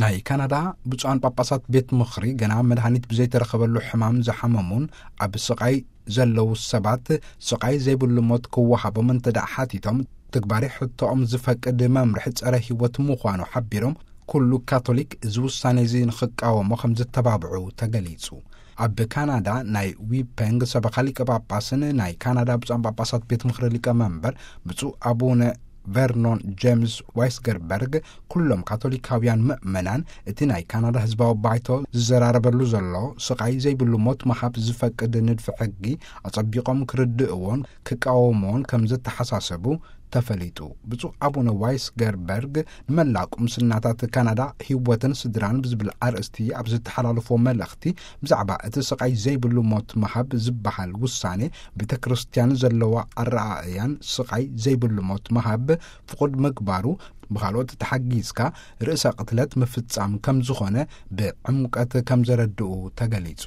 ናይ ካናዳ ብፁዓን ጳጳሳት ቤት ምኽሪ፣ ገና መድሃኒት ብዘይተረኸበሉ ሕማም ዝሓመሙን ኣብ ስቓይ ዘለዉ ሰባት፣ ስቓይ ዘይብሉ ሞት ክወሃቦም እንተ ደኣ ሓቲቶም፣ ትግባሬ ሕቶኦም ዝፈቅድ መምርሒ ጸረ ህይወት ምዃኑ ሓቢሮም፣ ኩሉ ካቶሊክ እዚ ውሳኔ እዚ ንኽቃወሞ ከም ዝተባብዑ ተገሊጹ። ኣብ ካናዳ ናይ ዊፐንግ ሰበኻ ሊቀ ጳጳስን ናይ ካናዳ ብፁዓን ጳጳሳት ቤት ምኽሪ ሊቀ መንበር ብፁዕ ኣቡነ ቨርኖን ጀምስ ዋይስገርበርግ፣ ኩሎም ካቶሊካውያን ምእመናን እቲ ናይ ካናዳ ህዝባዊ ባይቶ ዝዘራረበሉ ዘሎ ስቓይ ዘይብሉ ሞት ምሃብ ዝፈቅድ ንድፊ ሕጊ ኣጸቢቖም ክርድእዎን ክቃወምዎን ከም ዘተሓሳሰቡ ተፈሊጡ። ብፁዕ ኣቡነ ዋይስገርበርግ ንመላእ ቁምስናታት ካናዳ ህይወትን ስድራን ብዝብል ኣርእስቲ ኣብ ዝተሓላለፎ መልእኽቲ፣ ብዛዕባ እቲ ስቓይ ዘይብሉ ሞት ምሃብ ዝበሃል ውሳኔ፣ ቤተ ክርስቲያን ዘለዋ ኣረኣእያን ስቓይ ዘይብሉ ሞት ምሃብ ፍቑድ ምግባሩ፣ ብኻልኦት ተሓጊዝካ ርእሰ ቅትለት ምፍጻም ከም ዝኾነ ብዕምቀት ከም ዘረድኡ ተገሊጹ።